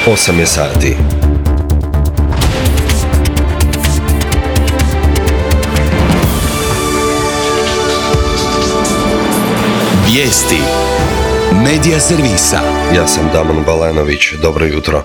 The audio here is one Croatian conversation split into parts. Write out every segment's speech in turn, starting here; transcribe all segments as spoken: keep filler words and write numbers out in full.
osam je sati. Vijesti Medija servisa. Ja sam Damon Balenović, dobro jutro.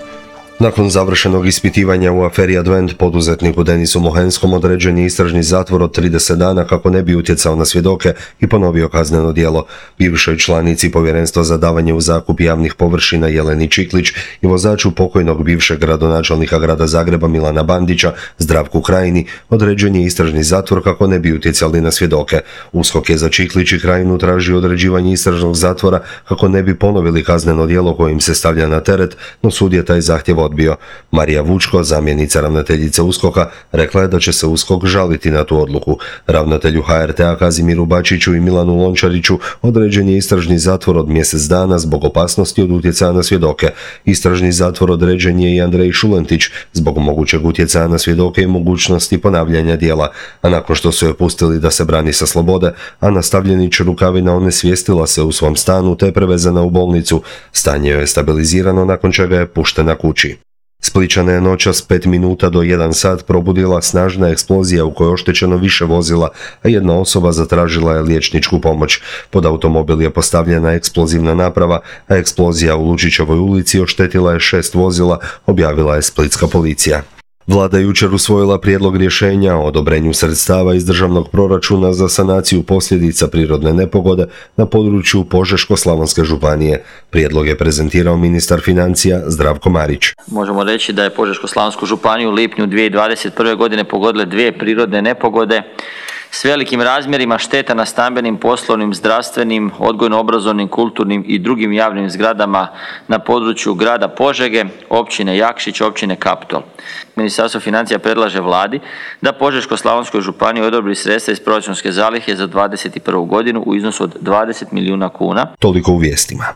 Nakon završenog ispitivanja u aferi Advent, poduzetniku Denisu Mohenskom određen je istražni zatvor od trideset dana kako ne bi utjecao na svjedoke i ponovio kazneno djelo. Bivšoj članici Povjerenstva za davanje u zakup javnih površina Jeleni Čiklić i vozaču pokojnog bivšeg gradonačelnika grada Zagreba Milana Bandića, Zdravku Krajini, određen je istražni zatvor kako ne bi utjecali na svjedoke. USKOK je za Čiklić i Krajinu tražio određivanje istražnog zatvora kako ne bi ponovili kazneno djelo kojim se stavlja na teret, no sud je taj zahtjev odbio. Marija Vučko, zamjenica ravnateljice USKOK-a, rekla je da će se USKOK žaliti na tu odluku. Ravnatelju H R T-a Kazimiru Bačiću i Milanu Lončariću određen je istražni zatvor od mjesec dana zbog opasnosti od utjecaja na svjedoke. Istražni zatvor određen je i Andrej Šulentić zbog mogućeg utjecaja na svjedoke i mogućnosti ponavljanja djela. A nakon što su je pustili da se brani sa slobode, Ana Stavljenić Rukavina onesvijestila se u svom stanu te prevezana u bolnicu. Stanje joj je stabilizirano nakon čega je puštena kući. Splićana je noćas pet minuta do jedan sat probudila snažna eksplozija u kojoj je oštećeno više vozila, a jedna osoba zatražila je liječničku pomoć. Pod automobil je postavljena eksplozivna naprava, a eksplozija u Lučićevoj ulici oštetila je šest vozila, objavila je splitska policija. Vlada je jučer usvojila prijedlog rješenja o odobrenju sredstava iz državnog proračuna za sanaciju posljedica prirodne nepogode na području Požeško-slavonske županije. Prijedlog je prezentirao ministar financija Zdravko Marić. Možemo reći da je Požeško-slavonsku županiju u lipnju dvije tisuće dvadeset prve. godine pogodile dvije prirodne nepogode s velikim razmjerima šteta na stambenim, poslovnim, zdravstvenim, odgojno-obrazovnim, kulturnim i drugim javnim zgradama na području grada Požege, općine Jakšić, općine Kaptol. Ministarstvo financija predlaže Vladi da Požeško-slavonskoj županiji odobri sredstva iz proračunske zalihe za dvadeset prvu. godinu u iznosu od dvadeset milijuna kuna. Toliko u vijestima.